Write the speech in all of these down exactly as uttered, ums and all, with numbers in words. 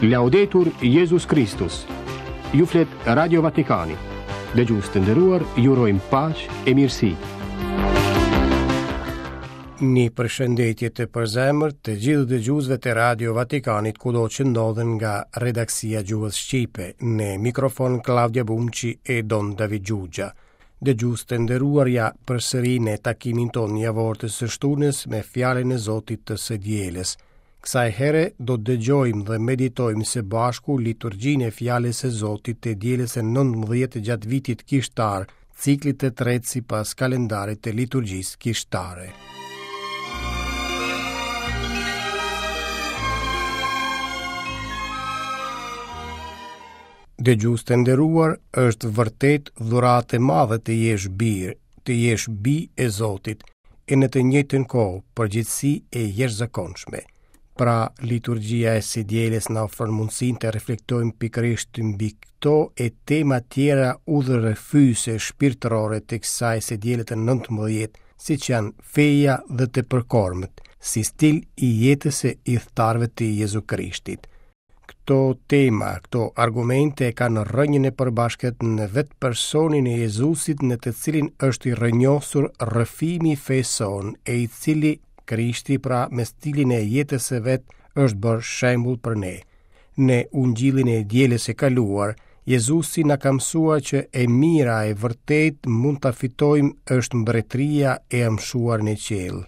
Laudetur Jezus Kristus. Ju flet Radio Vatikani. Dëgjues të nderuar, ju urojmë paqe e mirësi. Një përshëndetje të përzemërt të gjithë dëgjuesve të Radio Vatikanit kudo që ndodhen nga redaksia e gjuhës shqipe, në mikrofon Klaudia Bumçi e Don David Xhuxha. Dëgjues të nderuar, ja përsëri në takimin tonë javor të së shtunës me fjalën e Zotit të së dielës. Kësaj here do të dëgjojmë dhe meditojmë së bashku liturgjinë e fjalës së Zotit të dielës së nëntëmbëdhjetë gjatë vitit kishtar, ciklit të tretë sipas kalendarit të liturgjisë kishtare. Dëgjues të nderuar, është vërtet dhuratë e madhe të jesh bir, të jesh bijë e Zotit, e në të njëjtën kohë përgjegjësi e jashtëzakonshme. Pra, liturgjia e së dielës na ofron mundësinë të reflektojmë pikërisht mbi këto e tema tjera udhërrëfyese shpirtërore të kësaj së diele të nëntëmbëdhjetë, siç janë feja dhe të përkormët, si stil i jetës së ithtarëve të Jezu Krishtit. Këto tema, këto argumente kanë rrënjën e përbashkët në vetë personin e Jezusit, në të cilin është i rrënjosur rrëfimi i fesë sonë, e i cili Krishti pra me stilin e jetës së vet është bërë shembull për ne. Në Ungjillin e dielës së kaluar, Jezusi na ka mësuar që e mira e vërtet mund ta fitojmë është mbretëria e amshuar në qiell.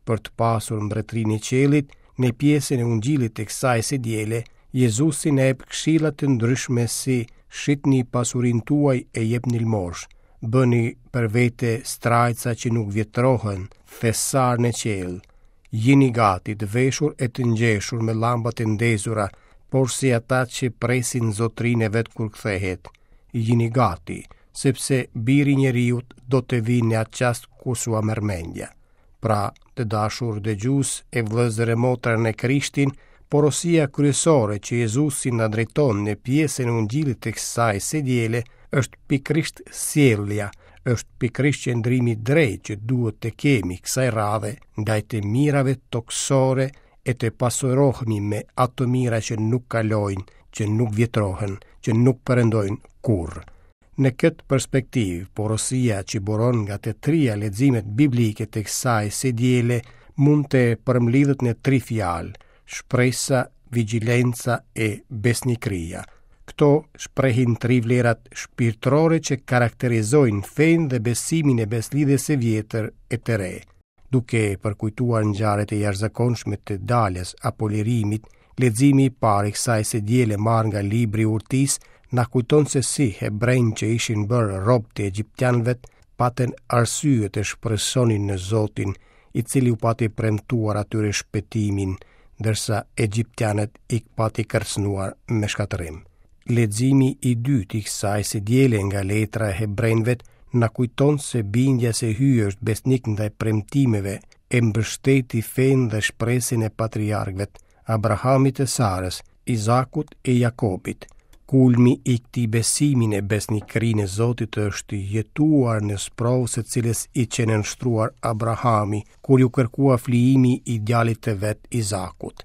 Për të pasur mbretërinë e qiellit, në pjesën e Ungjillit të kësaj së diele, Jezusi na jep këshilla të ndryshme si shitni pasurinë tuaj e jepni lmosh, bëni për vete strajca që nuk vjetrohen, thesar në qiell. Jini gati të veshur e të ngjeshur me llambat e ndezura, por si ata që presin zotërinë e vet kur kthehet. Jini gati, sepse biri i njeriut do të vijë në atë çast kur s'ua merr mendja. Pra, të dashur dëgjues e vëllezër e motra në Krishtin, porosia kryesore që Jezusi na drejton në pjesën e Ungjillit të kësaj së diele është pikërisht sjellja, është pikërisht qëndrimi drejt që duhet të kemi kësaj radhe ndaj të mirave tokësore e të pasurohemi me ato mira që nuk kalojnë, që nuk vjetrohen, që nuk perëndojnë kurrë. Në këtë perspektivë, porosia që buron nga të tria leximet biblike të kësaj së diele mund të përmblidhet në tri fjalë: shpresa, vigjilenca e besnikëria. Këto shprehin tri vlerat shpirtërore që karakterizojnë fenë dhe besimin e beslidhjes së vjetër e të re. Duke përkujtuar ngjarjet e jashtëzakonshme të daljes apo lirimit, leximi i parë i kësaj së diele marrë nga libri i Urtisë na kujton se si hebrejtë që ishin bërë rob të egjiptianëve patën arsye të shpresonin në Zotin, i cili u pati premtuar atyre shpëtimin, ndërsa egjiptianët i pati kërcënuar me shkatërrim. Leximi i dytë i kësaj së diele nga letra e hebrejve na kujton se bindja se Hyji është besnik ndaj premtimeve e mbështeti fenë dhe shpresën e patriarkëve, Abrahamit e Sarës, Izakut e Jakobit. Kulmi i këtij besimi në besnikërinë e Zotit është jetuar në sprovë së cilës i qe nënshtruar Abrahami, kur ju kërkua flijimi i djalit të vet Izakut.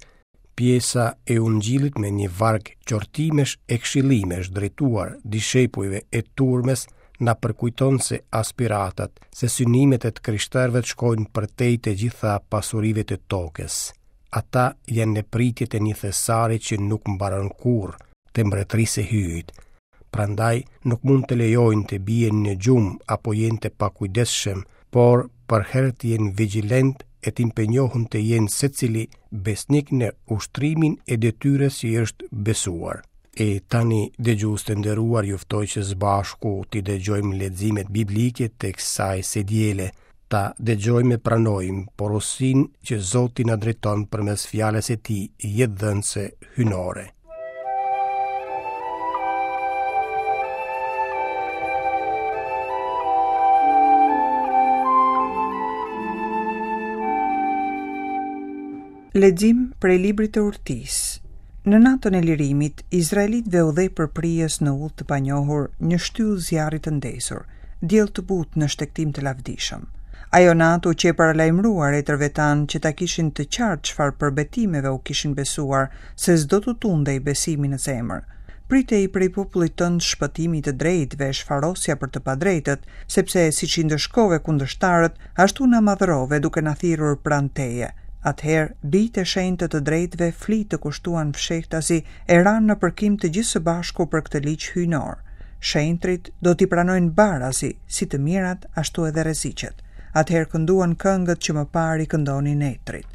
Pjesa e Ungjillit me një varg qortimesh e këshillimesh drejtuar dishepujve e turmës na përkujton se aspiratat, se synimet e të krishterëve shkojnë përtej të gjitha pasurive të tokës. Ata janë në pritje të një thesari që nuk mbaron kurrë, të mbretërisë së Hyjit. Prandaj nuk mund të lejojnë të bien në gjumë apo jenë të pakujdesshëm, por përherë të jenë vigjilent e të impenjohen të jenë secili besnik në ushtrimin e detyrës që i është besuar. E tani, dëgjues të nderuar, ju ftoj që së bashku t'i dëgjojmë leximet biblike të kësaj së diele, ta dëgjojmë e pranojmë porosinë që Zoti na drejton përmes fjalës së tij jetëdhënëse hyjnore. Lexim prej librit të Urtisë. Në natën e lirimit, izraelitëve u dhe për prijës në udhë të panjohur një shtyllë zjarri të ndezur, diell të butë në shtegtim të lavdishëm. Ajo natë u qe paralajmëruar etërve tanë që ta kishin të qartë çfarë përbetimeve u kishin besuar, se s'do t'u tundej besimi në zemër. Pritej prej popullit tënd shpëtimi i të drejtëve, shfarosja për të padrejtët, sepse siç i ndëshkove kundërshtarët, ashtu na madhërove duke na thirrur pranë teje. Atëherë, bijtë e shenjtë të të drejtëve fli të kushtuan fshehtazi e ranë në përkim të gjithë së bashku për këtë ligj hyjnor. Shenjtrit do t'i pranojnë barazi, si të mirat, ashtu edhe rreziqet. Atëherë kënduan këngët që më parë i këndonin etrit.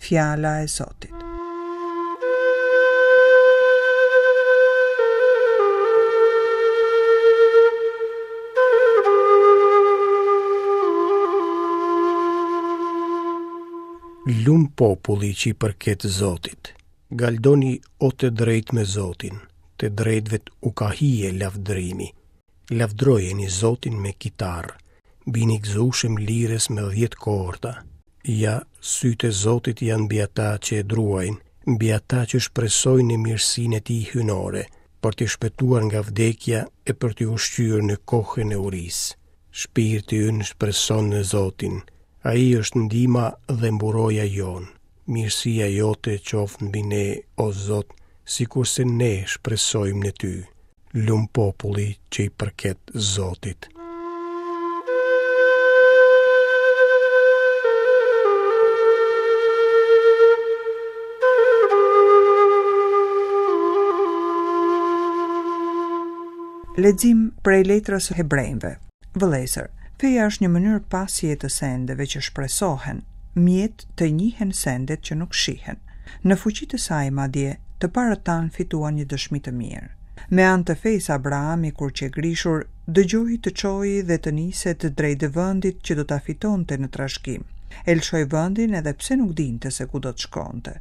Fjala e Zotit. Lum populli që i përket Zotit. Galdoni o të drejtë me Zotin, të drejtëve u ka hije lavdërimi. Lavdrojeni Zotin me kitarë, bini gëzueshëm lirës me dhjetë korda. Ja, sytë e Zotit janë mbi ata që e druajnë, mbi ata që shpresojnë në mirësinë e tij hyjnore, për t'i shpëtuar nga vdekja e për t'i ushqyer në kohën e urisë. Shpirti ynë shpreson në Zotin. Ai është ndihma dhe mburoja jonë. Mirësia jote qoftë mbi ne, o Zot, sikurse ne shpresojmë në ty. Lum populli që i përket Zotit. Lexim prej letrës së Hebrejve. Vëllezër, feja është një mënyrë pasje të sendeve që shpresohen, mjet të njihen sendet që nuk shihen. Në fuqi të saj madje, të parët tanë fituan një dëshmi të mirë. Me anë të fesë Abrahami kur qe grishur, dëgjoi të çojë dhe të niset drejt vendit që do ta fitonte në trashëgim. E lëshoi vendin edhe pse nuk dinte se ku do të shkonte.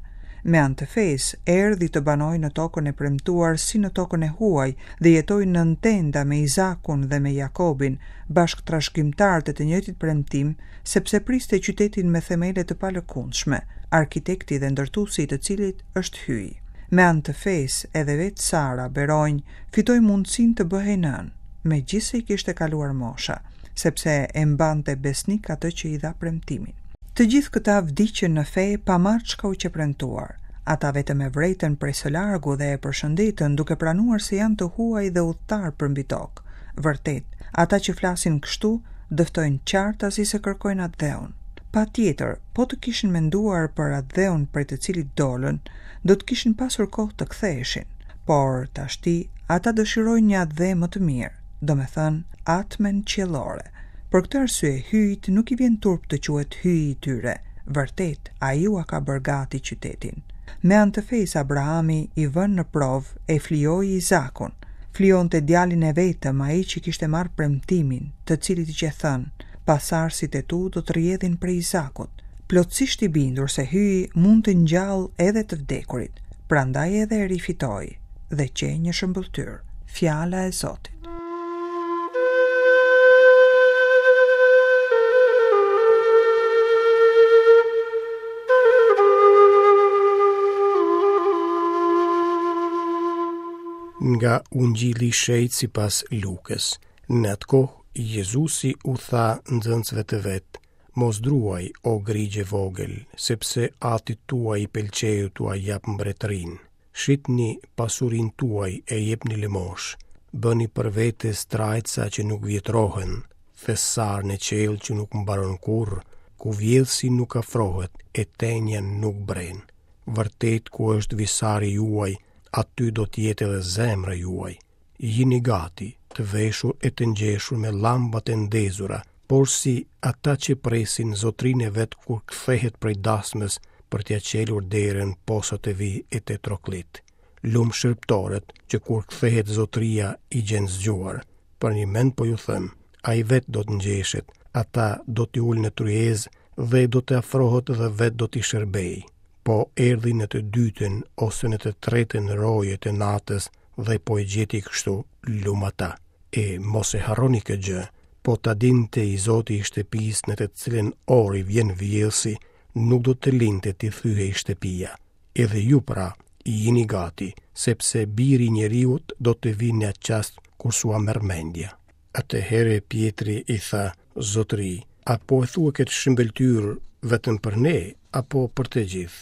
Me anë të fesë, erdhi të banojë në tokën e premtuar si në tokën e huaj dhe jetoi në tenda me Izakun dhe me Jakobin, bashkë trashëgimtarët e të njëjtit premtim, sepse priste qytetin me themele të palëkundshme, arkitekti dhe ndërtuesi i të cilit është Hyji. Me anë të fesë, edhe vetë Sara, beronj, fitoi mundësinë të bëhej nënë, megjithse i kishte kaluar mosha, sepse e mbante besnik atë që i dha premtimin. Të gjithë këta vdiqën në fe pa marrë çka u qe premtuar. Ata vetëm e vretën prej së largu dhe e përshëndetën duke pranuar se janë të huaj dhe udhëtar përmbi tokë. Vërtet, ata që flasin kështu dëftojnë qartazi se kërkojnë atdheun. Patjetër, po të kishin menduar për atdheun prej të cilit dolën, do të kishin pasur kohë të ktheheshin. Por tashti ata dëshirojnë një atdhe më të mirë, domethënë atmen qiellore. Për këtë arsye, Hyjit nuk i vjen turp të quhet Hyji i tyre. Vërtet, ai ua ka bërë gati qytetin. Me anë të fesë Abrahami i vënë në provë e flijoi Izakun. Flijonte djalin e vetëm, ai që kishte marrë premtimin, të cilit i qe thënë, pasarësit e tu do të rrjedhin prej Izakut. Plotësisht i bindur se Hyji mund të ngjallë edhe të vdekurit, prandaj edhe e rifitoi dhe qe një shëmbëlltyrë. Fjala e Zotit. Nga Ungjilli i Shenjtë sipas Lukës. Në atë kohë, Jezusi u tha nxënësve të vet: Mos druaj, o grigje vogël, sepse atit tuaj i pëlqeu t'ua jap mbretërinë. Shitni pasurinë tuaj e jepni lëmosh. Bëni për vete strajca që nuk vjetrohen, thesar në qiell që nuk mbaron kurrë, ku vjedhësi nuk afrohet e tenja nuk bren. Vërtet ku është visari juaj, aty do të jetë edhe zemra juaj. Jini gati, të veshur e të ngjeshur me llambat e ndezura, por si ata që presin zotrin e vet kur kthehet prej dasmës për t'ia çelur derën posa të vi e të troklit. Lum shërbëtorët që kur kthehet zotria i gjen zgjuar. Për një mend po ju them, ai vet do të ngjeshet, ata do t'i ulë në tryezë dhe do të afrohet dhe vet do t'i shërbej. Po erdhi në të dytën ose në të tretën roje të natës dhe po e gjeti kështu, lum ata. E mos e harroni këtë gjë, po ta dinte i zoti i shtëpisë në të cilën orë i vjen vjedhësi, nuk do të linte t'i thyhej shtëpia. Edhe ju pra, jini gati, sepse biri i njeriut do të vinë në atë çast kur s'ua merr mendja. Atëherë Pjetri i tha, Zotëri, A po e thua këtë shëmbëlltyrë vetëm për ne, apo për të gjithë?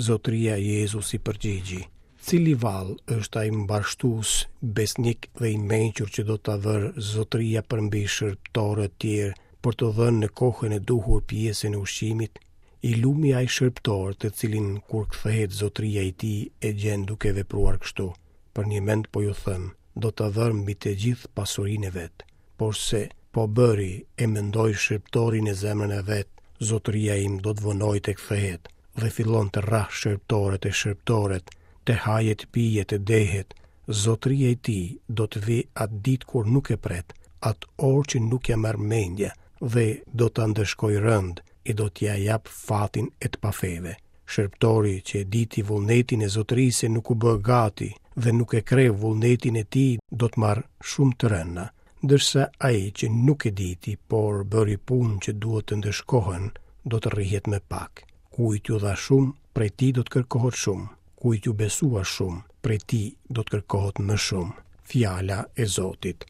Zotëria Jezus i përgjigji: Cili vallë është ai mbarështues, besnik dhe i mençur që do ta vërë zotëria përmbi shërbëtorët tjerë për të dhënë në kohën e duhur pjesën e ushqimit? I lumi ai shërbëtor të cilin kur kthehet zotëria i tij e gjen duke vepruar kështu. Për një mend po ju them, do ta vërë mbi të gjithë pasurinë e vet. Porse po bëri e mendoi shërbëtori në zemrën e vet, zotëria im do të vonojë të kthehet, dhe fillon të rrah shërbëtorët e shërbëtoret, të haje të pije të dehet, zotëria i tij do të vijë atë ditë kur nuk e pret, atë orë që nuk ja merr mendja, dhe do ta ndëshkojë rënd e do t'ja jap fatin e të pafeve. Shërbëtori që e diti vullnetin e zotërisë nuk u bë gati dhe nuk e kreu vullnetin e tij do të marrë shumë të rënda, ndërsa ai që nuk e diti, por bëri punë që duhet të ndëshkohen, do të rrihet me pak. Kujt ju dha shumë, prej tij do të kërkohet shumë. Kujt ju besua shumë, prej tij do të kërkohet më shumë. Fjala e Zotit.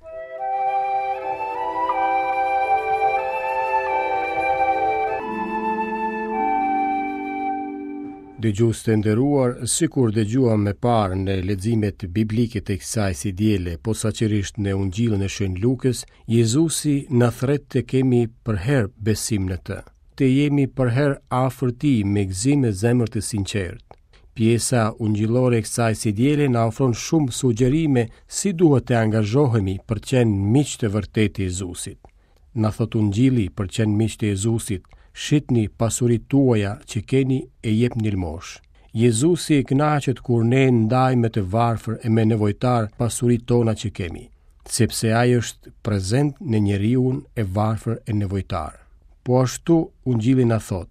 Dëgjues të nderuar, sikur dëgjuam më parë në leximet biblike të kësaj së diele, posaçërisht në Ungjillin e Shën Lukës, Jezusi na thret të kemi përherë besim në të, të jemi përherë afër tij me gëzim e zemër të sinqertë. Pjesa ungjillore e kësaj së diele na ofron shumë sugjerime si duhet të angazhohemi për të qenë miq të vërtetë të Jezusit. Na thot Ungjilli për të qenë miq të Jezusit, shitni pasuritë tuaja që keni e jepni lëmosh. Jezusi e kënaqet kur ne ndajmë me të varfër e me nevojtar pasuritë tona që kemi, sepse ai është prezent në njeriun e varfër e nevojtar. Po ashtu Ungjilli na thot,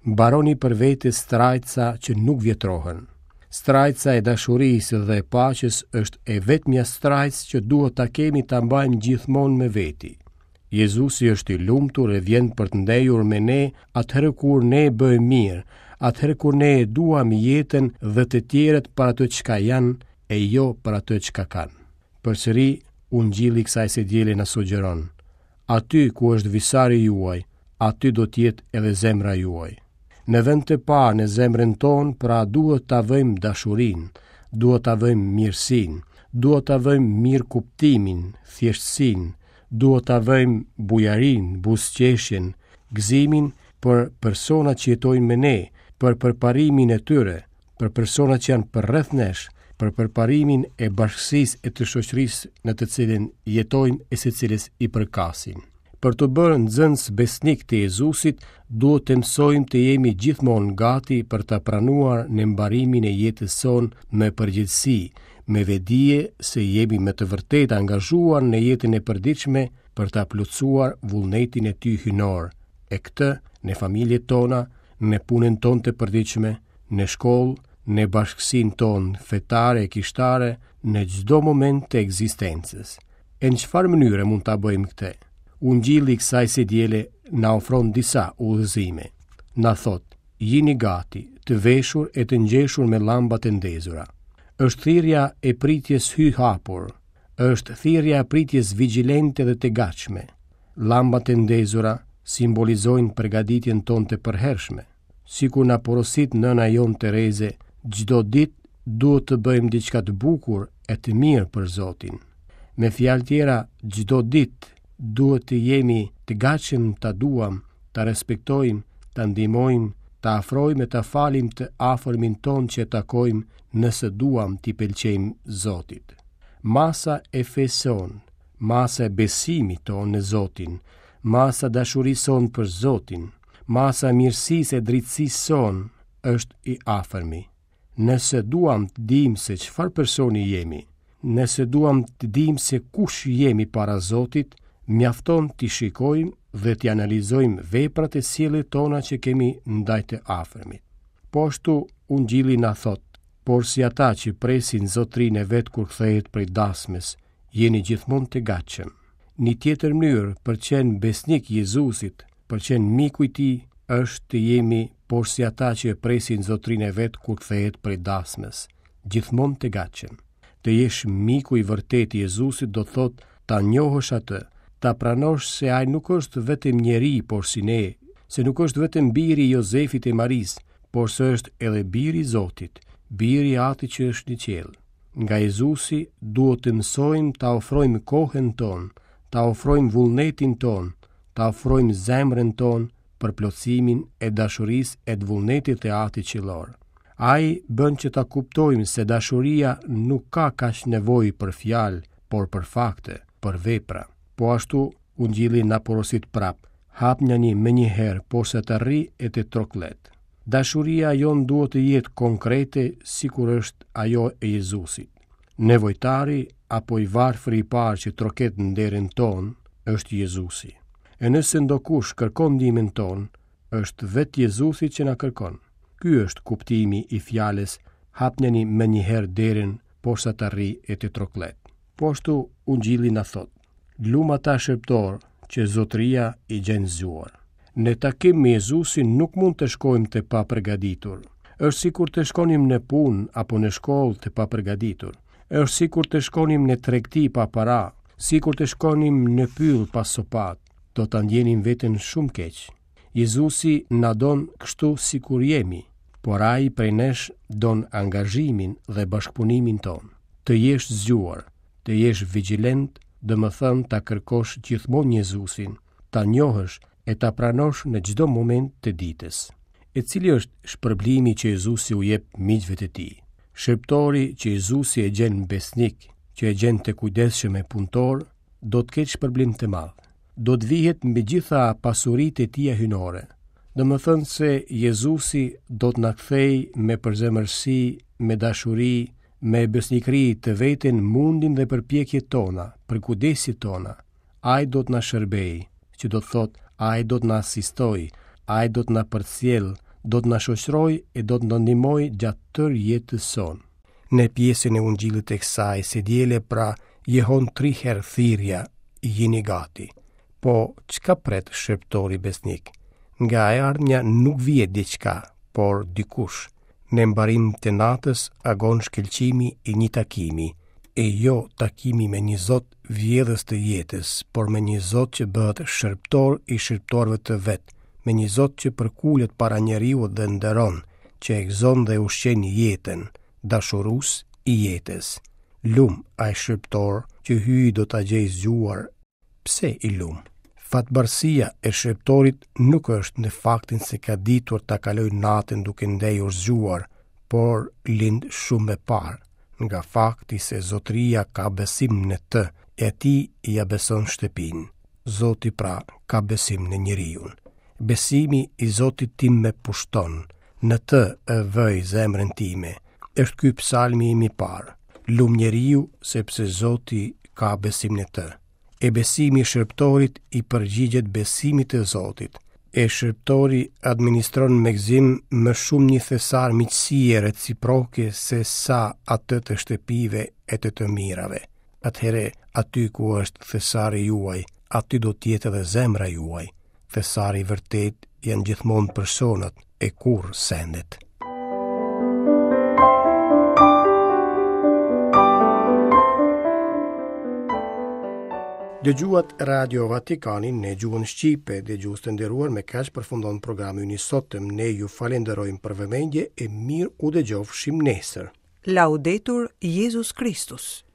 mbaroni për vete strajca që nuk vjetrohen. Strajca e dashurisë dhe e paqes është e vetmja strajcë që duhet ta kemi ta mbajmë gjithmonë me veti. Jezusi është i lumtur e vjen për të ndejur me ne atëherë kur ne bëjmë mirë, atëherë kur ne e duam jetën dhe të tjerët për atë çka janë e jo për atë çka kanë. Përsëri, Ungjilli i kësaj së diele na sugjeron, aty ku është visari juaj, aty do të jetë edhe zemra juaj. Në vend të parë në zemrën tonë, pra duhet ta vëjmë dashurinë, duhet ta vëjmë mirësinë, duhet ta vëjmë mirëkuptimin, thjeshtësinë, duhet ta vëjmë bujarinë, buzëqeshjen, gëzimin për personat që jetojnë me ne, për përparimin e tyre, për personat që janë përreth nesh, për përparimin e bashkësisë e të shoqërisë në të cilën jetojmë e së cilës i përkasim. Për të bërë nxënës besnik të Jezusit, duhet të mësojmë të jemi gjithmonë gati për ta pranuar në mbarimin e jetës sonë me përgjegjësi, me vedije se jemi me të vërtetë angazhuar në jetën e përditshme për ta plotësuar vullnetin e tij hyjnor, e këtë në familjet tona, në punën tonë të përditshme, në shkollë, në bashkësinë tonë fetare e kishtare, në çdo moment të ekzistencës. E në çfarë mënyre mund ta bëjmë këtë? Ungjilli i kësaj së diele na ofron disa udhëzime. Na thot, jini gati, të veshur e të ngjeshur me llambat e ndezura. Është thirrja e pritjes hy hapur, është thirrja e pritjes vigjilente dhe të gatshme. Llambat e ndezura simbolizojnë përgatitjen tonë të përhershme. Sikur na porosit nëna jonë Tereze, çdo ditë duhet të bëjmë diçka të bukur e të mirë për Zotin. Me fjalë tjera, çdo ditë duhet të jemi të gatshëm ta duam, ta respektojmë, ta ndihmojmë, ta afrojmë e ta falim të afërmin tonë që takojmë nëse duam t'i pëlqejmë Zotit. Masa e fesë sonë, masa e besimit tonë në Zotin, masa e dashurisë sonë për Zotin, masa e mirësisë e drejtësisë sonë është i afërmi. Nëse duam të dimë se çfarë personi jemi, nëse duam të dimë se kush jemi para Zotit, mjafton t'i shikojmë dhe t'i analizojmë veprat e sjelljet tona që kemi ndaj të afërmit. Po ashtu, Ungjilli na thot, por si ata që presin zotrin e vet kur kthehet prej dasmës, jeni gjithmonë të gatshëm. Një tjetër mënyrë për të qenë besnik Jezusit, për të qenë miku i tij, është të jemi por si ata që presin zotrin e vet kur kthehet prej dasmës, gjithmonë të gatshëm. Të jesh miku i vërtetë i Jezusit do thotë ta njohësh atë, Ta pranosh se ai nuk është vetëm njeri, por si ne, se nuk është vetëm biri i Jozefit e Marisë, por se është edhe biri i Zotit, biri i Atit që është në qiell. Nga Jezusi duhet të mësojmë ta ofrojmë kohën tonë, ta ofrojmë vullnetin tonë, ta ofrojmë zemrën tonë për plotësimin e dashurisë e të vullnetit të Atit qiellor. Ai bën që ta kuptojmë se dashuria nuk ka kaq nevojë për fjalë, por për fakte, për vepra. Po ashtu, Ungjilli na porosit prap, hapnjani menjëherë porsa të rri e të troklet. Dashuria jonë duhet të jetë konkrete sikur është ajo e Jezusit. Nevojtari apo i varfëri i parë që troket në derën tonë është Jezusi. E nëse ndokush kërkon ndihmën tonë, është vetë Jezusi që na kërkon. Ky është kuptimi i fjalës hapnjani menjëherë derën porsa të rri e të troklet. Po ashtu Ungjilli na thotë, lum ata shërbëtor që zotëria i gjen zgjuar. Në takim me Jezusin nuk mund të shkojmë të papërgatitur. Është sikur të shkonim në punë apo në shkollë të papërgatitur. Është sikur të shkonim në tregti pa para, sikur të shkonim në pyll pa sopat. Do ta ndjenim veten shumë keq. Jezusi na don kështu sikur jemi, por ai prej nesh don angazhimin dhe bashkëpunimin tonë. Të jesh zgjuar, të jesh vigjilent, domethënë ta kërkosh gjithmonë Jezusin, ta njohësh e ta pranosh në çdo moment të ditës. E cili është shpërblimi që Jezusi u jep miqve të tij? Shërbëtori që Jezusi e gjen besnik, që e gjen të kujdesshëm e punëtor, do të ketë shpërblim të madh. Do të vihet mbi gjitha pasuritë e tija hyjnore. Domethënë se Jezusi do të na kthejë me përzemërsi, me dashuri, me besnikëri të vetën mundin dhe përpjekjet tona, përkujdesjet tona. Ai do të na shërbejë, që do të thotë ai do të na asistojë, ai do të na përcjellë, do të na shoqërojë e do të na ndihmojë gjatë tërë jetës sonë. Në pjesën e Ungjillit të kësaj së diele pra jehon tri herë thirrja, jini gati. Po çka pret shërbëtori besnik? Nga e ardhmja nuk vije diçka, por dikush. Në mbarim të natës agon shkëlqimi i një takimi, e jo takimi me një Zot vjedhës të jetës, por me një Zot që bëhet shërbëtor i shërbëtorëve të vet, me një Zot që përkulet para njeriut dhe nderon, që e gëzon dhe ushqen jetën, dashurues i jetës. Lum ai shërbëtor që hyj do ta gjej zgjuar. Pse i lum? Fatbardhësia e shërbëtorit nuk është në faktin se ka ditur ta kalojë natën duke ndejur zgjuar, por lind shumë më parë, nga fakti se zotëria ka besim në të, e atij ia beson shtëpinë. Zoti pra ka besim në njeriun. Besimi i Zotit tim më pushton, në të e vëj zemrën time. Është ky psalmi im i parë. Lum njeriu sepse Zoti ka besim në të. E besimi i shërbëtorit i përgjigjet besimit të Zotit. E shërbëtori administron me gëzim më shumë një thesar miqësie reciproke se sa atë të shtëpive e të të mirave. Atëherë, aty ku është thesari juaj, aty do të jetë edhe zemra juaj. Thesari i vërtet janë gjithmonë personat e kurrë sendet. Dëgjuat Radio Vatikanin në gjuhën shqipe, dëgjues të nderuar, me kaq përfundon programi ynë i sotëm. Ne ju falenderojmë për vëmendje e mirë u dëgjofshim nesër. Laudetur Jezus Kristus.